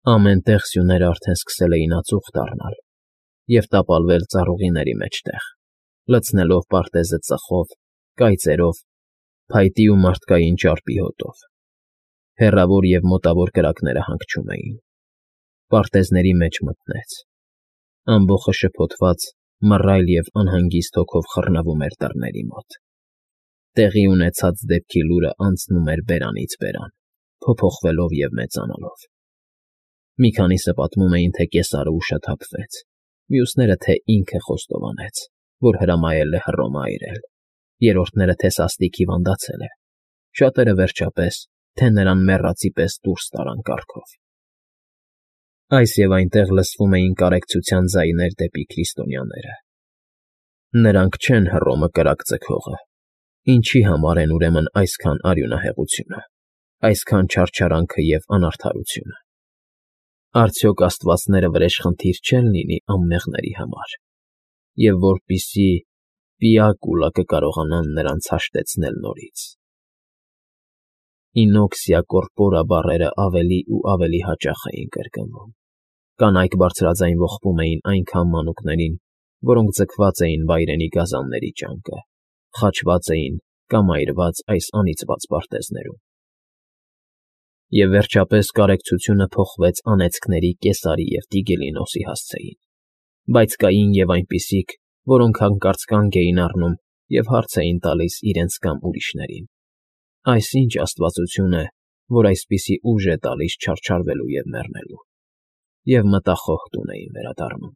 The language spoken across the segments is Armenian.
Ամեն տեղ սյուները արդեն սկսել էին ածուխ դառնալ և տապալվել ծառուղիների մեջտեղ, լցնելով պարտեզը ծխով, կայծերով, փայտի ու մարդկային ճարպի հոտով. հեռավոր և մոտավոր կրակները հանգչում էին, պարտեզների մեջ մթնեց, ամբոխը շփոթված, մռայլ և անհանգիստ հոգով խռնվում էր դռների մոտ, տեղի ունեցած դեպքի լուրը անցնում էր բերանից բերան, փոփոխվելով և մեծանալով. մի քանիսը պատմում էին, թե կեսարը ուշաթափվեց, մյուսները, թե ինքը խոստովանեց, որ հրամայել է Հռոմը այրել, երրորդները, թե սաստիկ հիվանդացել է, շատերը, վերջապես, թե նրան մեռածի պես դուրս տարան կառքով. այս և այնտեղ լսվում էին կարեկցության ձայներ դեպի քրիստոնյաները. նրանք չեն Հռոմը կրակ ձգողը, ինչի համար են ուրեմն այսքան արյունահեղությունը, այսքան չարչարանքը և անարդարությունը. արդյոք աստվածները վրեժխնդիր չեն լինի անմեղների համար, և որպիսի պիակուլա կկարողանան նրանց հաշտեցնել նորից. Ինոքսիա կորպորա բառերը ավելի ու ավելի հաճախ էին կրկնվում, կանայք բարձրաձայն ողբում էին այնքան մանուկներին, որոնք ձգված էին վայրենի գազանների ճանկը, խաչված էին կամ այրված այս անիծված պարտեզներում. և վերջապես կարեկցությունը փոխվեց անեծքների Կեսարի և Տիգելինոսի հասցեին, բայց կային և այնպիսիք, որոնք հանկարծ կանգ էին առնում և հարց էին տալիս իրենց կամ ուրիշներին. այս ի՞նչ աստվածություն է, որ այսպիսի ուժ է տալիս չարչարվելու և մեռնելու, և մտախոհ տուն էին վերադառնում.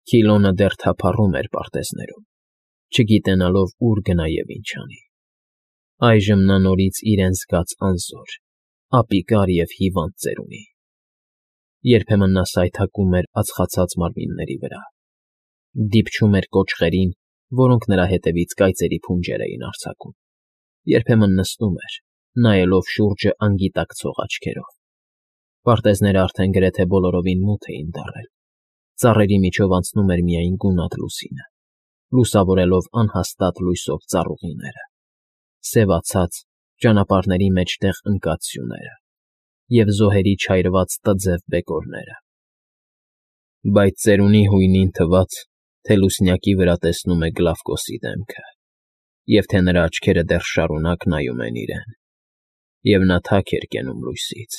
Քիլոնը դեռ թափառում էր պարտեզներում, չգիտենալով ուր գնա և ինչ անի. այժմ նա նորից իրեն զգաց անզոր, ապիկար և հիվանդ ծերունի. երբեմն նա սայթաքում էր ածխացած մարմինների վրա, դիպչում էր կոճղերին, որոնք նրա հետևից կայծերի փունջեր էին արձակում, երբեմն նստում էր, նայելով շուրջը անգիտակցող աչքերով. պարտեզները արդեն գրեթե բոլորովին մութ էին դառել, ծառերի միջով անցնում էր միայն գունատ լուսինը, լուսավորելով անհաստատ լույսով ծառուղիները, սևացած, ճանապարհների մեջտեղ ընկած սյուները և զոհերի չայրված տձև բեկորները. բայց ծերունի հույնին թվաց, թե լուսնյակի վրա տեսնում է Գլավկոսի դեմքը, և թե նրա աչքերը դեռ շարունակ նայում են իրեն, և նա թաք էր կենում լույսից,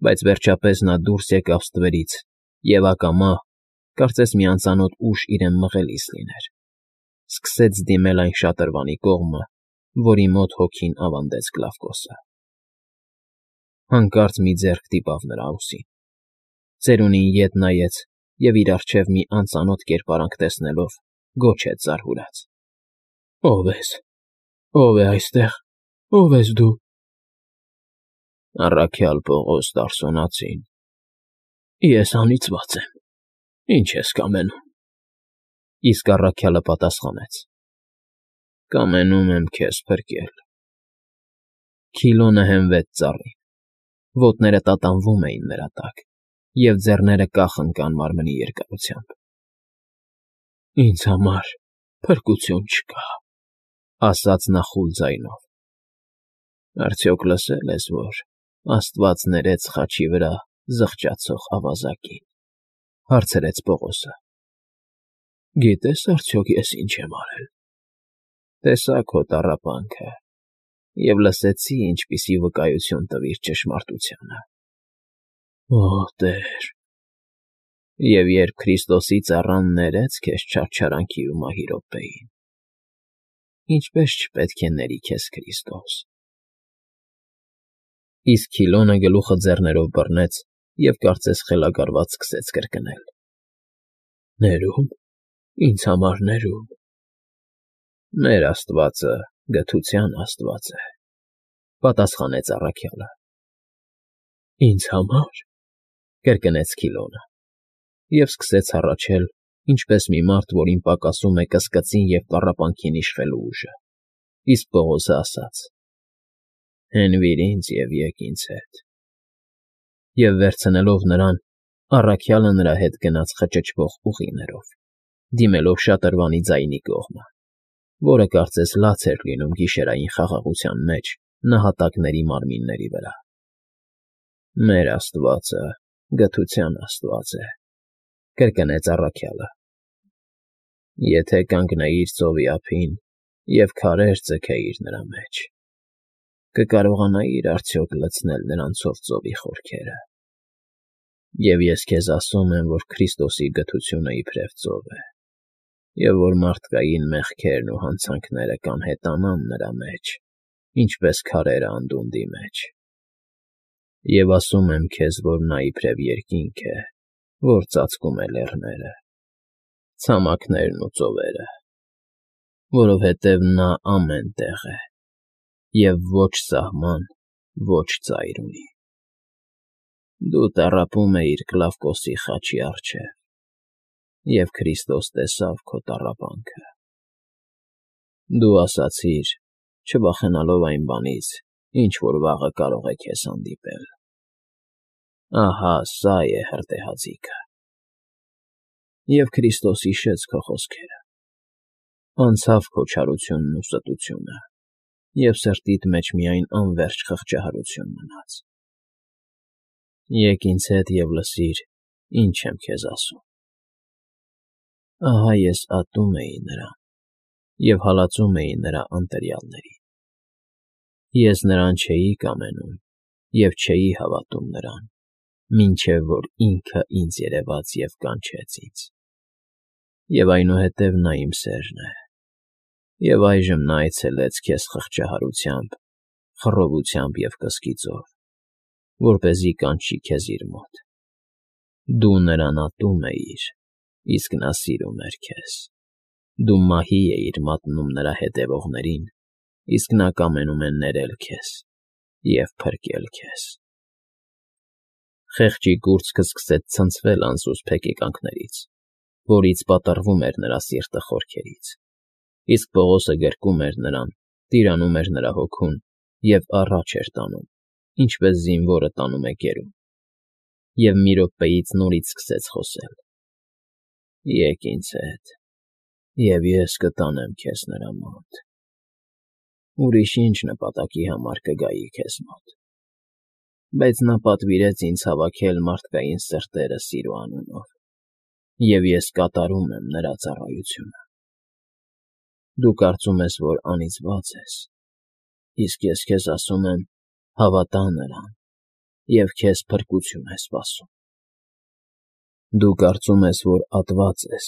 բայց վերջապես նա դուրս եկավ ստվերից և ակամա, կարծես մի անծանոթ ուժ իրեն մղելիս լիներ, սկսեց դիմել այն շատրվանի կողմը, որի մոտ հոգին ավանդեց Գլավկոսը. հանկարծ մի ձեռք դիպավ նրա ուսին, ծերունին ետ նայեց և իր առջև մի անծանոթ կերպարանք տեսնելով, գոչեց զարհուրած. ո՞վ ես, ո՞վ է այստեղ, ո՞վ ես դու։ Առաքյալ Պողոս Տարսոնացին, ես անիծված եմ, ինչ ես կամենում։ Իսկ առաքյալը պատասխանեց. կամենում եմ քեզ փրկել։ Քիլոնը հենվեց ծառին, ոտները տատանվում էին նրա տակ, և ձեռները կախ ընկան մարմնի երկարությամբ։ Ինձ համար փրկություն չկա, ասաց նա խուլ ձայնով։ Արդյոք լսել ես, որ Աստված ներեց խաչի վրա զղջացող ավազակին, հարցրեց Պողոսը։ Գիտես արդյոք ես ինչ եմ արել։ Տեսա քո տառապանքը և լսեցի, ինչպիսի վկայություն տվիր ճշմարտությանը։ Օ Տեր, և երբ Քրիստոսի ծառան ներեց քեզ չարչարանքի ու մահի րոպեին, ինչպե՞ս չպետք է ների քեզ Քրիստոս։ Իսկ Քիլոնը գլուխը ձեռներով բռնեց և կարծես խելագարված սկսեց կրկնել. ներում, ինձ համար ներում։ Մեր Աստվածը գթության Աստված է, պատասխանեց առաքյալը։ Ինձ համար, կրկնեց Քիլոնը, և սկսեց հառաչել, ինչպես մի մարդ, որին պակասում է կսկծին և տառապանքին իշխելու ուժը, իսկ Պողոսը ասաց. հենվիր ինձ և եկ ինձ հետ։ Եվ վերցնելով նրան, առաքյալը նրա հետ գնաց խճճվող ուղիներով, դիմելով շատրվանի ձայնի կողմը, որը կարծես լաց էր լինում գիշերային խաղաղության մեջ նահատակների մարմինների վրա։ Մեր Աստվածը գթության Աստված է, կրկնեց առաքյալը։ Եթե կանգնեիր ծովի ափին և քարեր ձգեիր նրա մեջ, կկարողանայիր արդյոք լցնել նրանցով ծովի խորքերը։ Եվ ես քեզ ասում եմ, որ Քրիստոսի գթությունը իբրև ծով է, և որ մարդկային մեղքերն ու հանցանքները կանհետանան նրա մեջ, ինչպես քարերը անդունդի մեջ։ Եվ ասում եմ քեզ, որ նա իբրև երկինք է, որ ծածկում է լեռները, ցամաքներն ու ծովերը, որովհետև նա ամեն տեղ է և ոչ սահման, ոչ ծայր ունի։ Դու տառապում էիր Կլավկոսի խաչի առջև, և Քրիստոս տեսավ քո տառապանքը։ Դու ասացիր, չվախենալով այն բանից, ինչ որ վաղը կարող է քեզ հանդիպել. «Ահա սա է հրդեհաձիգը»։ Եվ Քրիստոս հիշեց քո խոսքերը, անցավ քո չարությունն ու ստությունը, և սրտիդ մեջ միայն անվերջ խղճահարություն մնաց։ Եկ ինձ հետ և լսիր, ինչ եմ քեզ ասում։ Ահա ես ատում էի նրան և հալածում էի նրա անտերյալներին։ Ես նրան չէի կամենում և չէի հավատում նրան, մինչև որ ինքը ինձ երևաց և կանչեց ինձ։ Եվ այնուհետև նա իմ սերն է, և այժմ նա այցելեց քեզ խղճահարությամբ, խռովությամբ և կսկիծով, որպեսզի կանչի քեզ իր մոտ։ Դու նրան ատում էիր, իսկ նա սիրում էր քեզ։ Դու մահի էիր մատնում նրա հետևողներին, իսկ նա կամենում է ներել քեզ և փրկել քեզ։ Խեղճի կուրծքը սկսեց ցնցվել անսուսպ հեկեկանքներից, որից պատռվում էր նրա սիրտը խորքերից, իսկ Պողոսը գրկում էր նրան, տիրանում էր նրա հոգուն և առաջ էր տանում, ինչպես զինվորը տանում է գերուն, և մի րոպեից նորից սկսեց խոսել. «Եկ ինձ հետ, և ես կտանեմ քեզ նրա մոտ։ Ուրիշ ինչ նպատակի համար կգայի քեզ մոտ։ Բայց նա պատվիրեց ինձ հավաքել մարդկային սրտերը սիրո անունով, և ես կատարում եմ նրա ծառայությունը։ Դու կարծում ես, որ անիծված ես, իսկ ես քեզ ասում եմ. հավատա նրան, և քեզ փրկություն է սպասում։ Դու կարծում ես, որ ատված ես,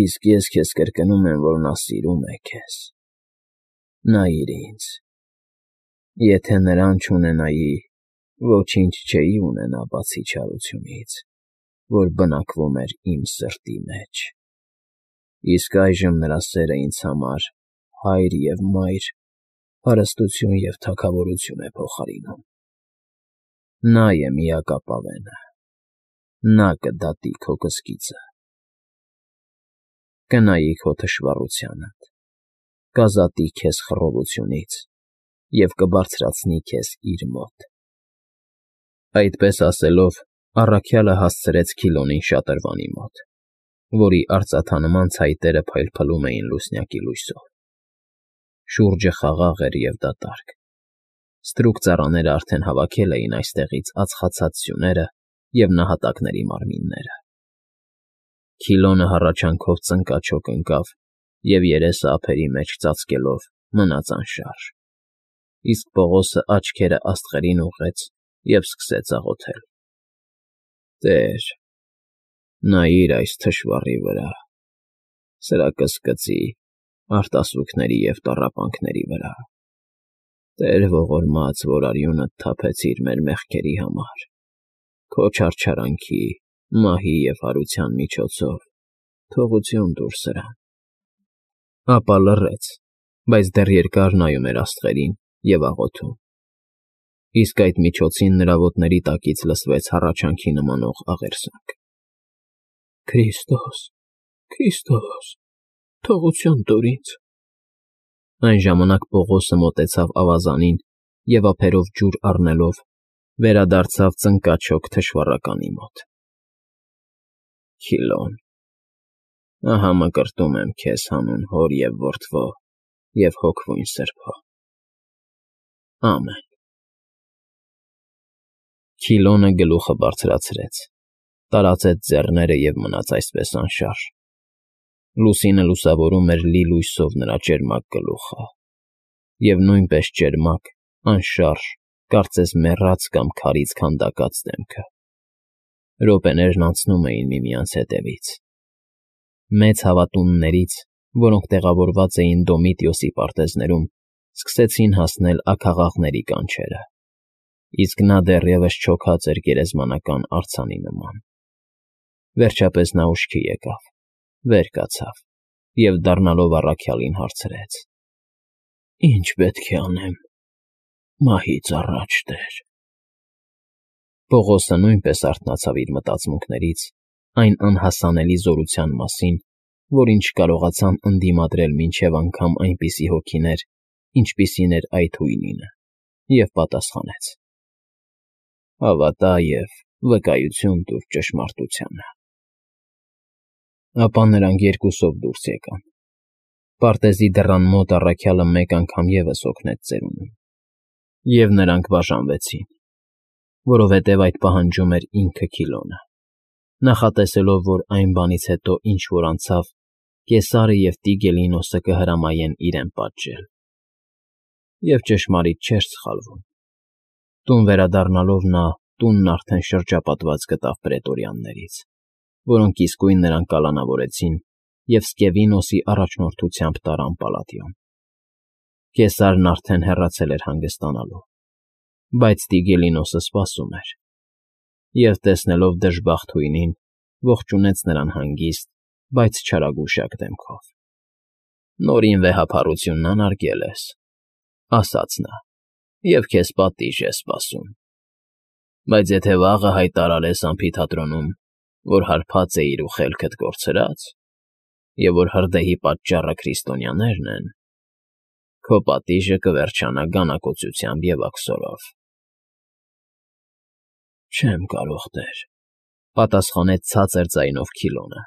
իսկ ես քեզ կրկնում եմ, որ նա սիրում է քեզ։ Նայիր ինձ։ Եթե նրան չունենայի, ոչինչ չէի ունենա բացի չարությունից, որ բնակվում էր իմ սրտի մեջ։ Իսկ այժմ նրա սերը ինձ համար Հայր և Մայր, հարստություն և թագավորություն է փոխարինում։ Նա է միակապավենը, նա կդատի քո կսկիծը, կնայի քո թշվառությանդ, կազատի քեզ խռովությունից և կբարձրացնի քեզ իր մոտ»։ Այդպես ասելով, առաքյալը հասցրեց Քիլոնին շատրվանի մոտ, որի արծաթանման ցայտերը փայլփլում էին լուսնյակի լույսով։ Շուրջը խաղաղ էր և դատարկ։ Ստրուկ ծառաները արդեն հավաքել էին այստեղից ածխացած սյուները և նահատակների մարմինները։ Քիլոնը հառաչանքով ծնկաչոք ընկավ և երեսը ափերի մեջ ծածկելով մնաց անշարժ, իսկ Պողոսը աչքերը աստղերին ուղղեց և սկսեց աղոթել. «Տե՛ր, նայիր այս թշվառի վրա, սրա կսկծի, արտասուքների և տառապանքների վրա։ Տեր ողորմած, որ արյունդ թափեցիր մեր մեղքերի համար, քո չարչարանքի, մահի և հարության միջոցով, թողություն տուր սրան»։ Ապա լռեց, բայց դեռ երկար նայում էր աստղերին և աղոթում։ Իսկ այդ միջոցին նրա ոտների տակից լսվեց հառաչանքի նմանող աղերսանք. «Քրիստո՛ս, Քրիստո՛ս, թողություն տուր ինձ»։ Այն ժամանակ Պողոսը մոտեցավ ավազանին և ափերով ջուր առնելով վերադարձավ ծնկաչոք թշվառականի մոտ։ «Քիլոն, ահա մկրտում եմ քեզ հանուն Հոր և Որդվո և Հոգվույն Սրբո։ Ամեն»։ Քիլոնը գլուխը բարձրացրեց, տարածեց ձեռները և մնաց այսպես անշարժ։ Լուսինը լուսավորում էր լի լույսով նրա ճերմակ գլուխը, և նույնպես ճերմակ, անշարժ, կարծես մեռած կամ քարից քանդակած դեմքը։ Րոպեներն անցնում էին միմյանց հետևից։ Մեծ հավատուններից, որոնք տեղավորված էին Դոմիտիոսի պարտեզներում, սկսեցին հասնել աքաղաղների կանչերը, իսկ նա դեռևս չոքած էր գերեզմանական արձանի նման։ Վերջապես նա ուշքի եկավ, վեր կացավ և դառնալով առաքյալին հարցրեց. «Ի՞նչ պետք է անեմ, մահից առաջ, Տեր»։ Պողոսը նույնպես արթնացավ իր մտածմունքներից այն անհասանելի զորության մասին, որին չկարողացան ընդդիմադրել մինչև անգամ այնպիսի հոգիներ, ինչպիսին էր այդ հույնինը, և պատասխանեց. «Հավատա և վկայություն տուր ճշմարտությանը»։ Ապա նրանք երկուսով դուրս եկան։ Պարտեզի դռան մոտ առաքյալը մեկ անգամ ևս օգնեց ծերունուն, և նրանք բաժանվեցին, որովհետև այդ պահանջում էր ինքը Քիլոնը, նախատեսելով, որ այն բանից հետո, ինչ որ անցավ, Կեսարը և Տիգելինոսը կհրամայեն իրեն պատժել։ Եվ ճշմարիտ չէր սխալվում։ Տուն վերադառնալով նա տունն արդեն շրջապատված գտավ պրետորյաններից, որոնք իսկույն նրան կալանավորեցին և Սկևինոսի առաջնորդությամբ տարան Պալատիոն։ Կեսարն արդեն հեռացել էր հանգստանալու, բայց Տիգելինոսը սպասում էր, և, տեսնելով դժբախտ հույնին, ողջունեց նրան հանգիստ, բայց չարագուշակ դեմքով։ «Նորին վեհափառությունն անարգել ես,» ասաց նա, «և քեզ պատիժ է սպասում։ Բայց եթե վաղը հայտարարես ամֆիթատրոնում, որ հարբած էիր ու խելքդ կորցրած, և որ հրդեհի պատճառը քրիստոնյաներն են, քո պատիժը կվերջանա գանակոծությամբ և աքսորով»։ «Չեմ կարող, Տեր,֊ պատասխանեց ցածր ձայնով Քիլոնը։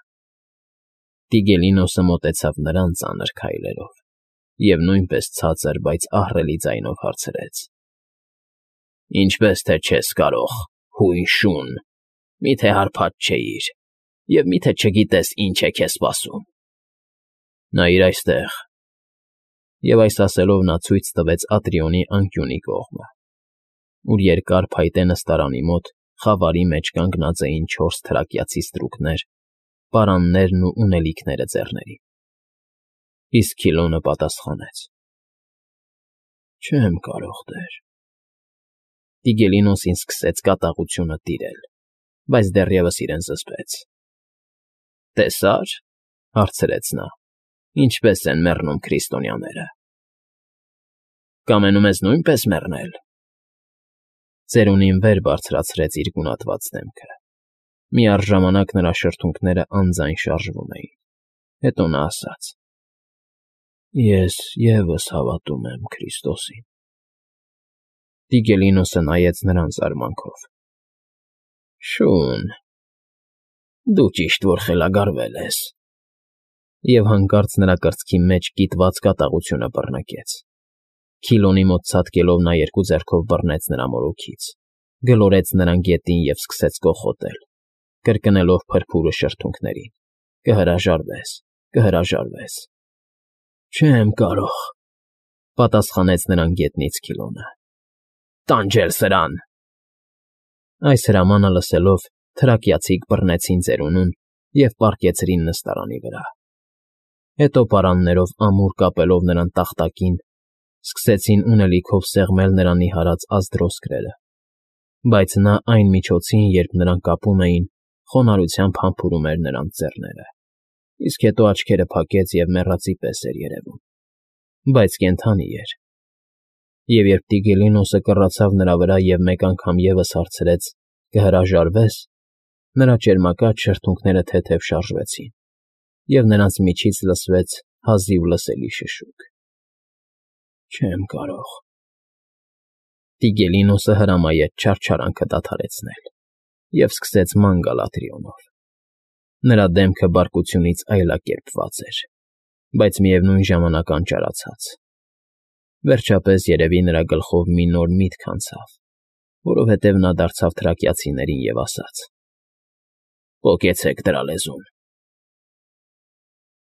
Տիգելինոսը մոտեցավ նրան ծանր քայլերով և նույնպես ցածր, բայց ահռելի ձայնով հարցրեց. «Ինչպես թե չես կարող, հույն շուն, միթե հարբած չէիր, և միթե չգիտես ինչ է քեզ սպասում։ Նայիր այստեղ»։ Եվ այս ասելով նա ցույց տվեց Ատրիոնի անկյունի կողմը, ուր երկար փայտե նստարանի մոտ խավարի մեջ կանգնած էին 4 թրակիացի ստրուկներ, պարաններն ու ունելիքները ձեռներին։ Իսկ Քիլոնը պատասխանեց. «Չեմ կարող, Տեր»։ Տիգելինոսին սկսեց կատաղությունը տիրել, բայց դեռևս իրեն զսպեց։ «Տեսա՞ր,֊ հարցրեց նա,֊ ինչպես են մեռնում քրիստոնյաները։ Կամենում ես նույնպես մեռնել»։ Ծերունին վեր բարձրացրեց իր գունատված դեմքը։ Միառժամանակ նրա շրթունքները անձայն շարժվում էին։ Հետո նա ասաց. «Ես ևս հավատում եմ Քրիստոսին»։ Տիգելինոսը նայեց նրան զարմանքով. «Շուն, դու ճիշտ որ խելագարվել ես»։ Եվ հանկարծ նրա կրծքի մեջ կիտված կատաղությունը բռնկեց։ Քիլոնի մոտ ցատկելով նա երկու ձեռքով բռնեց նրա մորուքից, գլորեց նրան գետին և սկսեց կոխոտել, կրկնելով փրփուրը շրթունքներին. «Կհրաժարվես, կհրաժարվես»։ «Չեմ կարող,֊ պատասխանեց նրան գետնից Քիլոնը։ «Տանջել սրան»։ Այս հրամանը լսելով՝ թրակիացիք բռնեցին ծերունուն և պառկեցրին նստարանի վրա։ Հետո պարաններով ամուր կապելով նրան տախտակին, սկսեցին ունելիքով սեղմել նրա նիհարած ազդրոսկրերը, բայց նա այն միջոցին, երբ նրան կապում էին, խոնարհությամբ համբուրում էր նրանց ձեռները, իսկ հետո աչքերը փակեց և մեռածի պես էր երևում, բայց կենդանի էր։ Եվ երբ Տիգելինոսը կռացավ նրա վրա և մեկ անգամ ևս հարցրեց. «Կհրաժարվե՞ս», նրա ճերմակած շրթունքները թեթև շարժվեցին, և նրանց միջից լսվեց հազիվ լսելի շշուկ. «Չեմ կարող»։ Տիգելինոսը հրամայեց չարչարանքը դադարեցնել և սկսեց ման գալ Ատրիոնով։ Նրա դեմքը բարկությունից այլակերպված էր, բայց միևնույն ժամանակ անճարացած։ Վերջապես երևի նրա գլխով մի նոր միտք անցավ, Որովհետև նա դարձավ թրակիացիներին և ասաց. «Պոկեցեք դրա լեզուն։